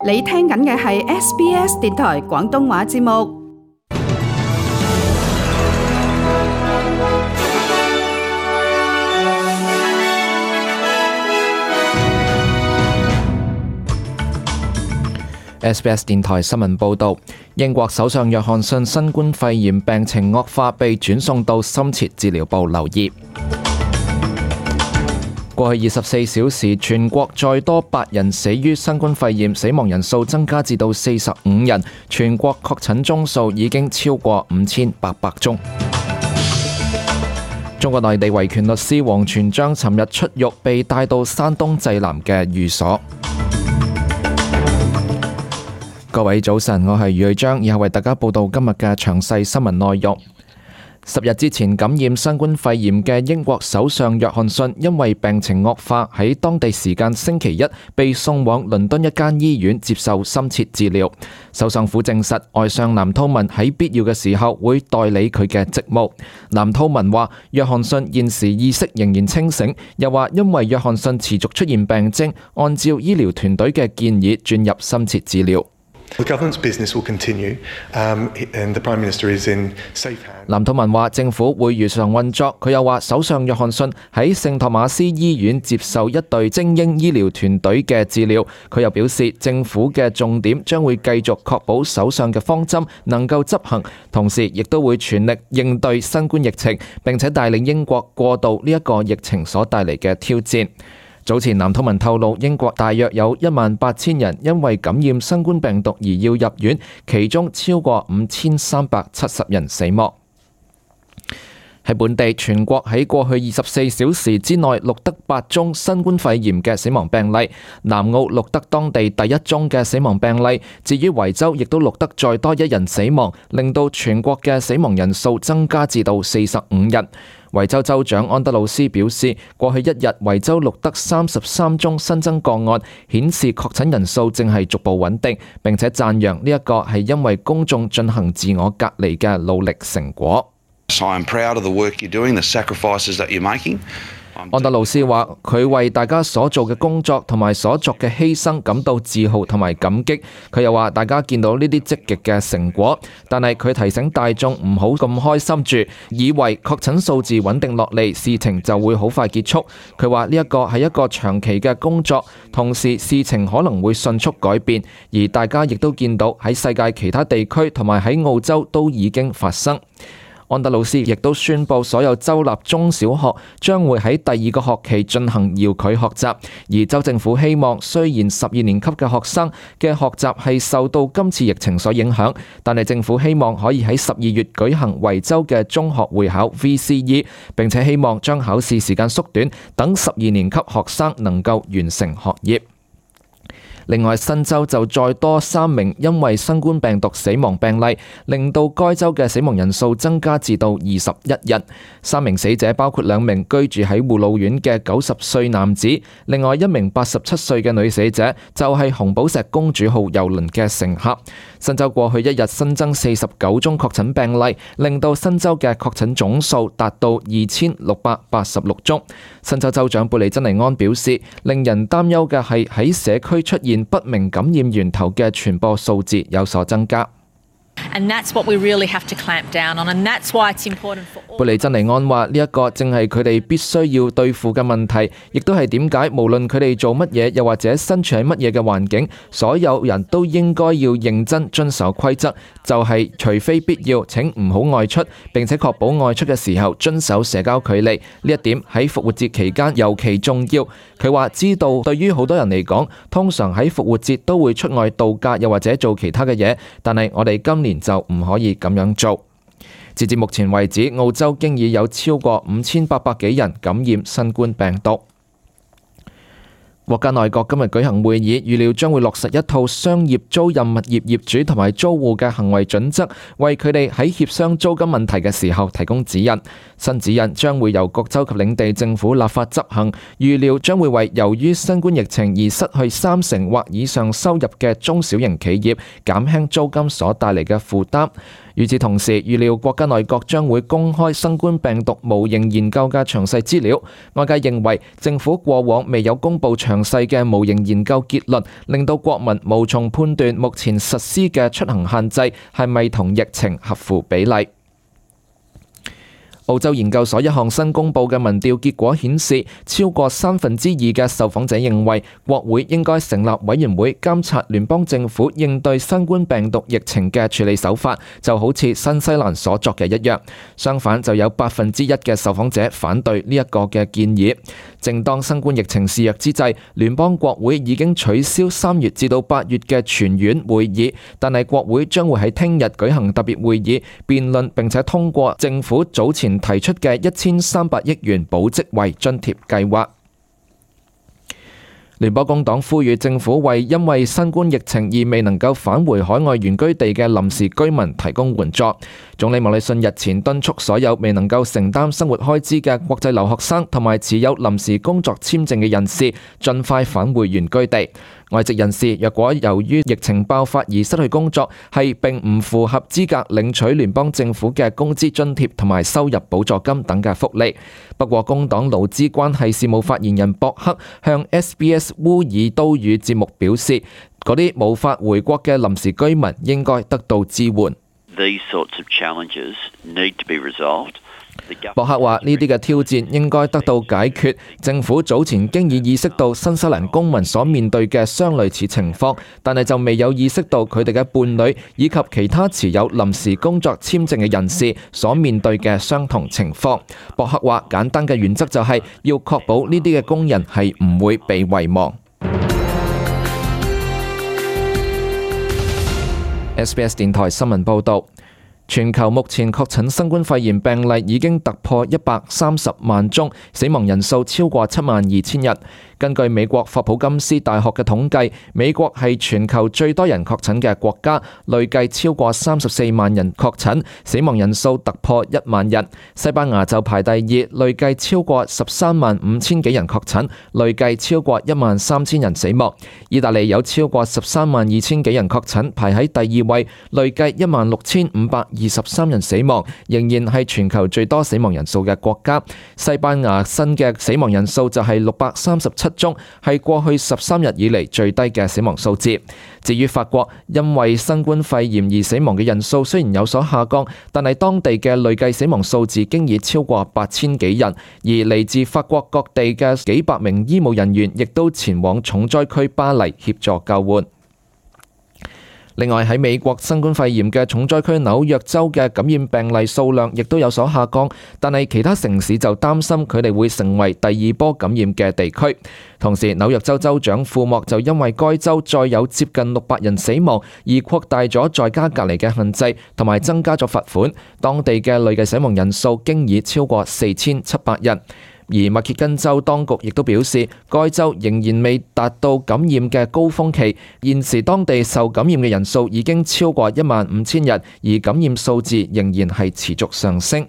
你聽緊嘅係 SBS 電台廣東話節目。SBS 電台新聞報導，英國首相約翰遜新冠肺炎病情惡化，被轉送到深切治療部留醫。過去24小時，全國再多8人死於新冠肺炎，死亡人數增加至到45人，全國確診宗數已經超過5800宗。中國內地維權律師王全璋尋日出獄，被帶到山東濟南嘅寓所。各位早晨，我係余瑞章，以後為大家報道今日嘅詳細新聞內容。10日之前感染新冠肺炎嘅英國首相約翰遜，因為病情惡化，喺當地時間星期一被送往倫敦一間醫院接受深切治療。首相府證實，外相藍韜文喺必要嘅時候會代理佢嘅職務。藍韜文話，約翰遜現時意識仍然清醒，又話因為約翰遜持續出現病徵，按照醫療團隊嘅建議轉入深切治療。The government's business will continue, and the Prime Minister is in safe hands. 藍韜文話政府會如常運作。佢又話首相約翰遜喺聖托馬斯醫院接受一隊精英醫療團隊嘅治療。佢又表示政府嘅重點將會繼續確保首相嘅方針能夠執行，同時亦都會全力應對新冠疫情，並且帶領英國過渡呢一個疫情所帶嚟嘅挑戰。早前藍韜文透露，英國大約有18000人因為感染新冠病毒而要入院，其中超過5370人死亡。喺本地，全國喺過去24小時之內錄得8宗新冠肺炎嘅死亡病例，南澳錄得當地第一宗嘅死亡病例。至於維州，亦都錄得再多1人死亡，令到全國嘅死亡人數增加至到45人。維州州長安德魯斯表示，過去一日維州錄得33宗新增個案，顯示確診人數正係逐步穩定，並且讚揚呢一個係因為公眾進行自我隔離嘅努力成果。I'm proud of the work you're doing, the sacrifices that you're making. 安德魯斯話：佢為大家所做嘅工作同埋所作嘅犧牲感到自豪同埋感激。佢又話：大家見到呢啲積極嘅成果，但係佢提醒大眾唔好咁開心住，以為確診數字穩定落嚟，事情就會好快結束。佢話呢一個係一個長期嘅工作，同時事情可能會迅速改變，而大家亦都見到喺世界其他地區同埋喺澳洲都已經發生。安德魯斯亦都宣布，所有州立中小學將會喺第2個學期進行遙距學習，而州政府希望，雖然12年級嘅學生嘅學習係受到今次疫情所影響，但係政府希望可以喺12月舉行維州嘅中學會考 VCE， 並且希望將考試時間縮短，等12年級學生能夠完成學業。另外，新州就再多3名因為新冠病毒死亡病例，令到該州嘅死亡人數增加至到21人。3名死者包括2名居住喺護老院嘅90歲男子，另外1名87歲嘅女死者就係紅寶石公主號郵輪嘅乘客。新州過去一日新增49宗確診病例，令到新州嘅確診總數達到2686宗。新州州長貝利珍尼安表示，令人擔憂嘅係喺社區出現不明感染源頭嘅傳播數字有所增加。And that's what we really have to clamp down on, and that's why it's important for all. 貝利珍尼安話：呢一個正係佢哋必須要對付嘅問題，亦都係點解無論佢哋做乜嘢，又或者身處喺乜嘢嘅環境，所有人都應該要認真遵守規則，就係除非必要，請唔好外出，並且確保外出嘅時候遵守社交距離。呢一點喺復活節期間尤其重要。佢話知道對於好多人嚟講，通常喺復活節都會出外度假，又或者做其他嘅嘢，但係我哋今年就唔可以咁樣做。截至目前為止，澳洲經已有超過5800幾人感染新冠病毒。國家內閣今日舉行會議，預料將會落實一套商業租賃物業業主同埋租戶嘅行為準則，為佢哋喺協商租金問題嘅時候提供指引。新指引將會由各州及領地政府立法執行，預料將會為由於新冠疫情而失去30%或以上收入嘅中小型企業減輕租金所帶嚟嘅負擔。與此同時，預料國家內閣將會公開新冠病毒模型研究嘅詳細資料。外界認為政府過往未有公布詳細嘅模型研究結論，令到國民無從判斷目前實施嘅出行限制係咪同疫情合乎比例。澳洲研究所一項新公佈嘅民調結果顯示，超過2/3嘅受訪者認為國會應該成立委員會監察聯邦政府應對新冠病毒疫情嘅處理手法，就好似新西蘭所作嘅一樣。相反，就有1%嘅受訪者反對呢一個嘅建議。正當新冠疫情肆虐之際，聯邦國會已經取消3月至到8月嘅全院會議，但係國會將會喺聽日舉行特別會議，辯論並且通過政府早前提出嘅1300億元保職位津貼計劃。聯邦工黨呼籲政府為因為新冠疫情而未能夠返回海外原居地嘅臨時居民提供援助。總理莫里遜日前敦促所有未能夠承擔生活開支嘅國際留學生同埋持有臨時工作簽證嘅人士，盡快返回原居地。外籍人士若果由於疫情爆發而失去工作，係並唔符合資格領取聯邦政府嘅工資津貼同埋收入補助金等嘅福利。不過，工黨勞資關係事務發言人博克向 SBS 烏爾都語節目表示，嗰啲無法回國嘅臨時居民應該得到支援。These sorts of challenges need to be resolved. 博克話：呢啲嘅挑戰應該得到解決。政府早前經已意識到新西蘭公民所面對嘅相類似情況，但係就未有意識到佢哋嘅伴侶以及其他持有臨時工作簽證嘅人士所面對嘅相同情況。博克話：簡單嘅原則就係要確保呢啲嘅工人係唔會被遺忘。SBS 電台新聞報導。全球目前確診新冠肺炎病例已經突破130萬宗，死亡人數超過72000人。根據美國霍普金斯大學嘅統計，美國係全球最多人確診嘅國家，累計超過34萬人確診，死亡人數突破1萬人。西班牙就排第二，累計超過13萬5千幾人確診，累計超過1萬3千人死亡。意大利有超過13萬2千幾人確診，排喺第二位，累計1萬6523人死亡，仍然係全球最多死亡人數嘅國家。西班牙新嘅死亡人數就係637宗，係過去13日以嚟最低嘅死亡數字。至於法國，因為新冠肺炎而死亡嘅人數雖然有所下降，但係當地嘅累計死亡數字經已超過8000幾人，而嚟自法國各地嘅幾百名醫務人員亦都前往重災區巴黎協助救援。另外喺美國新冠肺炎嘅重災區紐約州嘅感染病例數量亦都有所下降，但係其他城市就擔心佢哋會成為第二波感染嘅地區。同時，紐約州州長庫莫就因為該州再有接近600人死亡而擴大咗在家隔離嘅限制，同埋增加咗罰款。當地嘅累計死亡人數經已超過4700人。而密歇根州當局亦都表示，該州仍然未達到感染嘅高峰期，現時當地受感染嘅人數已經超過15000人，而感染數字仍然係持續上升。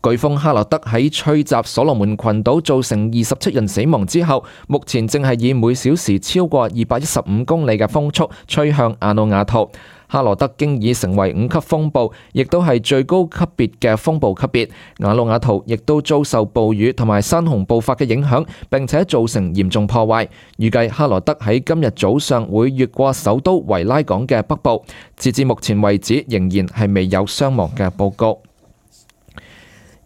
颶風哈羅德喺吹襲所羅門群島造成27人死亡之後，目前正係以每小時超過215公里嘅風速吹向瓦努阿圖。哈羅德經已成為5級風暴，亦都係最高級別嘅風暴級別。瓦努阿圖亦都遭受暴雨同埋山洪暴發嘅影響，並且造成嚴重破壞。預計哈羅德喺今日早上會越過首都維拉港嘅北部。截至目前為止，仍然係未有傷亡嘅報告。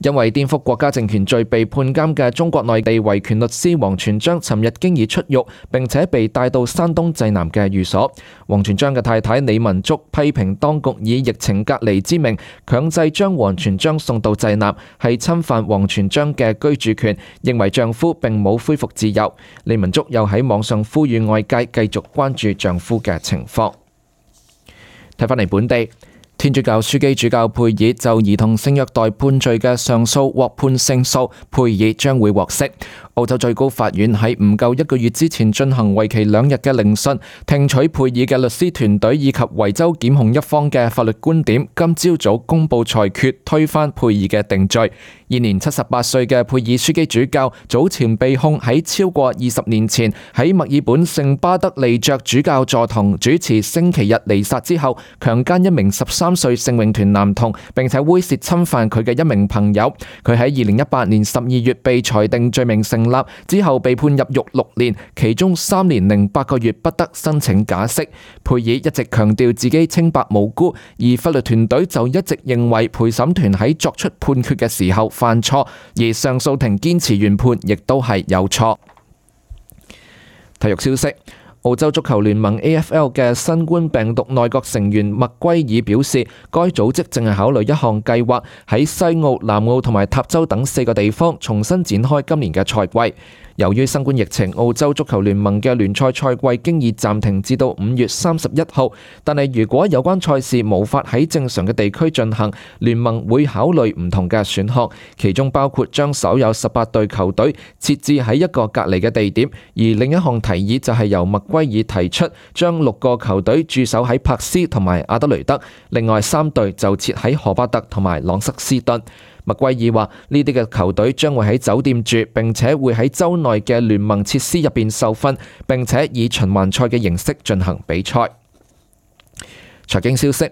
因為顛覆國家政權罪被判監嘅中國內地維權律師王全璋，尋日經已出獄，並且被帶到山東濟南嘅寓所。王全璋嘅太太李文竹批評當局以疫情隔離之名強制將王全璋送到濟南，係侵犯王全璋嘅居住權，認為丈夫並冇恢復自由。李文竹又喺網上呼籲外界繼續關注丈夫嘅情況。睇返嚟本地。天主教樞機主教佩爾就兒童性虐待判罪嘅上訴獲判勝訴，佩爾將會獲釋。澳洲最高法院喺唔夠1個月之前進行為期2日嘅聆訊，聽取佩爾嘅律師團隊以及維州檢控一方嘅法律觀點。今朝早公布裁決，推翻佩爾嘅定罪。現年78歲嘅佩爾樞機主教早前被控喺超過20年前喺墨爾本聖巴德利爵主教座堂主持星期日彌撒之後，強姦一名13歲聖詠團男童，並且猥褻侵犯佢嘅一名朋友。佢喺2018年12月被裁定罪名成立，之後被判入獄6年，其中3年零8個月不得申請假釋。佩爾一直強調自己清白無辜，而法律團隊就一直認為陪審團喺作出判決嘅時候犯錯，而上訴庭堅持原判亦都係有錯。體育消息。澳洲足球聯盟 AFL 嘅新冠病毒內閣成員麥圭爾表示，該組織正係考慮一項計劃，喺西澳、南澳同埋塔州等4個地方重新展開今年嘅賽季。由於新冠疫情，澳洲足球聯盟嘅聯賽賽季經已暫停至到5月31號，但係如果有關賽事無法喺正常嘅地區進行，聯盟會考慮唔同嘅選項，其中包括將所有18隊球隊設置喺一個隔離嘅地點，而另一項提議就係由麥圭爾提出，將6個球隊駐守喺柏斯同埋阿德雷德，另外3隊就設喺荷巴特同埋朗瑟斯頓。麥圭爾話：呢啲嘅球隊將會喺酒店住，並且會喺州內嘅聯盟設施入邊受訓，並且以循環賽嘅形式進行比賽。財經消息。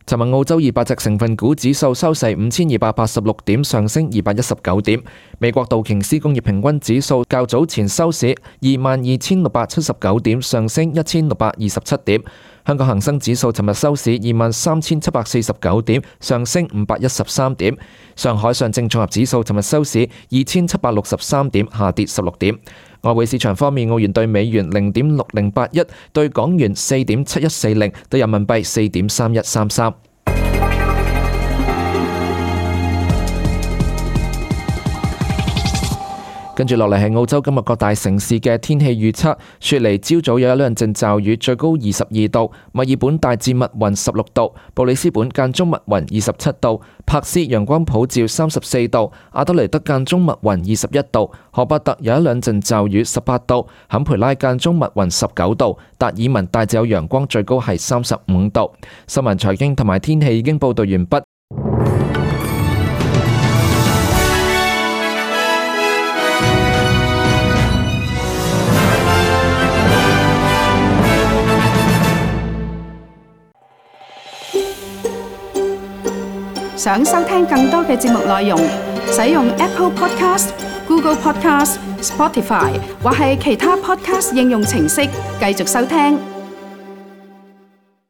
尋日澳洲200隻成分股指數收市5286點，上升219點。美國道瓊斯工業平均指數較早前收市22,679點，上升1627點。香港恒生指數尋日收市23,749點，上升513點。上海上證綜合指數尋日收市2,763點，下跌16點。外匯市場方面，澳元對美元0.6081，對港元4.7140，對人民幣4.3133。跟住落嚟係澳洲今日各大城市嘅天氣預測。雪梨朝早有一兩陣驟雨，最高22度；墨爾本大致密雲16度；布里斯本間中密雲27度；柏斯陽光普照34度；阿德雷德間中密雲21度；荷巴特有一兩陣驟雨18度；坎培拉間中密雲19度；達爾文大致有陽光，最高係35度。新聞財經同埋天氣已經報道完畢。想收聽更多嘅節目內容，使用 Apple Podcast、Google Podcast、Spotify 或係其他 Podcast 應用程式繼續收聽。